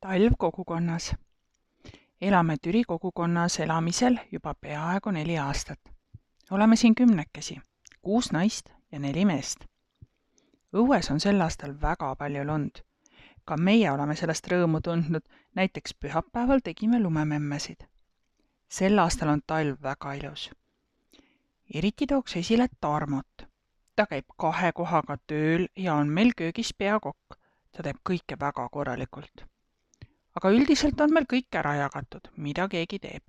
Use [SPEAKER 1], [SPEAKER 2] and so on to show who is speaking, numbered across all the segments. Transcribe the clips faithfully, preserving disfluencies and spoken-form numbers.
[SPEAKER 1] Talv kogukonnas. Elame Türi kogukonnas elamisel juba peaaegu neli aastat. Oleme siin kümnekesi, kuus naist ja neli meest. Õues on sel aastal väga palju lund. Ka meie oleme sellest rõõmu tundnud, näiteks pühapäeval tegime lumememmesid. Sel aastal on talv väga ilus. Eriti tooks esile Tarmot. Ta käib kahe kohaga tööl ja on meil köögis peakokk. Ta teeb kõike väga korralikult. Aga üldiselt on meil kõik ära jagatud, mida keegi teeb.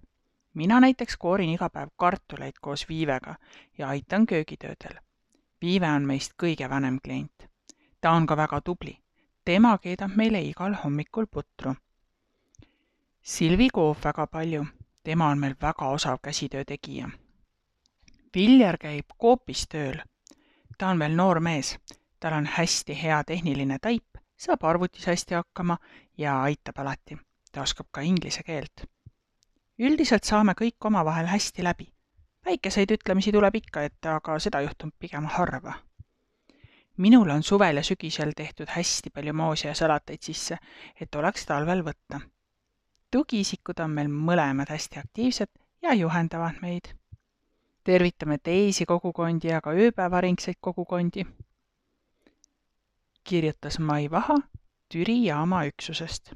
[SPEAKER 1] Mina näiteks koorin iga päev kartuleid koos Viivega ja aitan köögitöödel. Viive on meist kõige vanem klient. Ta on ka väga tubli. Tema keedab meile igal hommikul putru. Silvi koob väga palju. Tema on meil väga osav käsitöö tegija. Viljar käib koopis tööl. Ta on veel noor mees. Tal on hästi hea tehniline taip, saab arvutis hästi hakkama ja aitab alati. Ta oskab ka inglise keelt. Üldiselt saame kõik omavahel hästi läbi. Väikeseid ütlemisi tuleb ikka ette, aga seda juhtub pigem harva. Minul on suvel ja sügisel tehtud hästi palju moosi ja salateid sisse, et oleks talvel võtta. Tugiisikud on meil mõlemad hästi aktiivsed ja juhendavad meid. Tervitame teisi kogukondi ja ka ööpäevaringseid kogukondi. Kirjutas Mai Vaha Türi jaama üksusest.